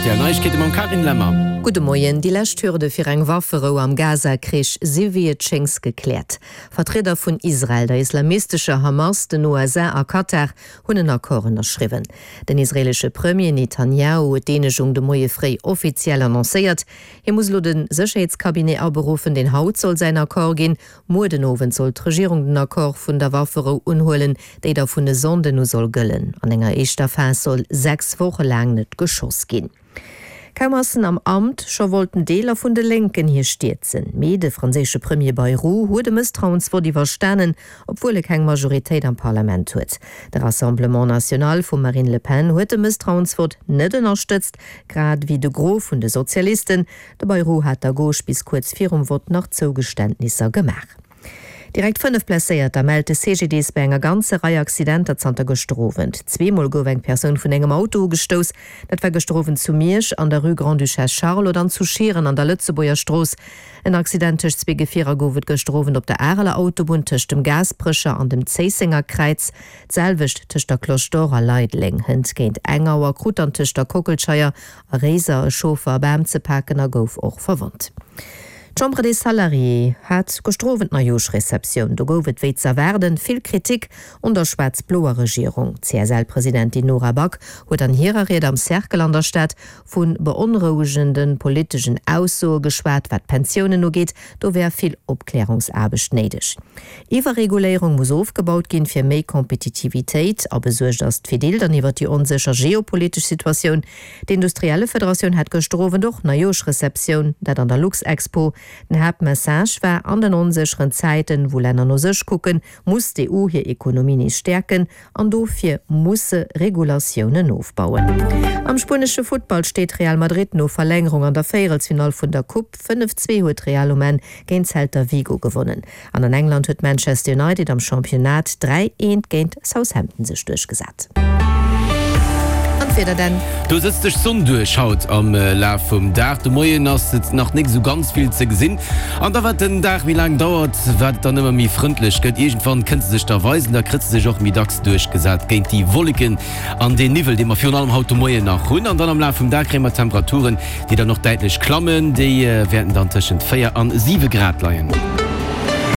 Rtl Neiegkeete mam Carine Lemmer. Gudde Moien. Déi lescht Hürde fir eng Wafferou am Gaza-Krich si wéi et schéngs gekläert. Vertrieder vun Israel, der islamistescher Hamas, den USA a Katar hunn en Accord ënnerschriwwen. Den israeelesche Premier Netanjahu huet d'Eenegung de Moie fréi offiziell annoncéiert. Hie muss elo de Sécherheetscabinet aberuffen, deen haut soll säin Accord ginn. Muer den Owend soll d'Regierung den Accord vun der Wafferou unhuelen, déi da vun e Sonnden u soll gëllen. An enger éischter Phas soll 6 Woche laang net geschoss ginn. Kaum ass en am Amt, scho wollten Deeler vun de Lénken hie stierzen. Mee de franséische Premier Bayrou huet e Mësstrauensvott iwwerstanen, obwuel e keng Majoritéit am Parlament huet. De Rassemblement National vum Marine Le Pen huet de Mësstrauensvott net ënnerstëtzt, grad ewéi de Gros vun de Sozialisten. De Bayrou hat der Gauche bis kuerz virum Vott nach Zougeständnisser gemaach. Direkt 5 Blesséierter mellt de CGDIS bei enger ganzer Rei Accidenter zanter gëschter Owend. Zweemol gouf eng Persoun vun engem Auto ugestouss. Dat war gëschter Owend zu Miersch an der Rue Grande-Duchesse Charlotte an zu Schieren an der Lëtzebuerger Strooss. En Accident tëscht zwee Gefierer gouf et gëschter Owend op der Areler Autobunn tëscht dem Gaasperecher an dem Zéissenger Kräiz. D'selwecht tëscht der Cloche d'Or a Leideleng. Hënt géint eng Auer krut dann tëscht der Kockelscheier A Réiser e Chauffer e Bam ze paken a gouf och verwonnt. D'Chambre des Salariés hat gëschter Owend Neijooschreceptioun. Do gouf et wéi z'erwaarden vill Kritik un der schwaarz-bloer Regierung. D'CSL-Presidentin Nora Back huet an hirer Ried am Cercle an der Stad vu beonrouegende politeschen Aussoe geschwat, wat d'Pensiounen ugeet. Do wär vill Opklärungsaarbecht néideg. Iwwerreguléierung muss ofgebaut ginn, fir méi Kompetitivitéit. A besuergt ass d'Fedil dann iwwer déi onsécher geopolitesch Situatioun. D'Industriellefederatioun hat gëschter Owend och Neijooschreceptioun, dat an der Luxexpo. Den Haaptmessage war, An den onsécheren Zäiten, wou Länner no sech kucken, muss d'EU hir Ekonomie nees stäerken. An dofir muss se Regulatiounen ofbauen. Am spuenesche Futtball steet Real Madrid no Verlängerung an der Véierelsfinall vun der Coupe. 5, 2 huet Real um Enn géint Celta Vigo gewonnen. An an England huet Manchester United am Championnat 3, 1 géint Southampton sech duerchgesat. An d'Wieder denn? Do sëtzt sech d'Sonn duerch haut am Laf vum Dag. De Moien ass et nach nik esou ganz vill ze gesinn. An da wat den Dag méi laang dauert, wat et dann ëmmer méi frëndlech gëtt. Iergendwann kënnt se sech da weisen, da kritt se sech och méi dacks duerchgesat géint déi Wolleken an deen Niwwel, dee mer virun allem haut de Moien nach hunn. An dann am Laf vum Dag kréie mer Temperaturen, déi dann och däitlech klammen. Déi wäerten dann tëschent 4 an 7 Grad leien.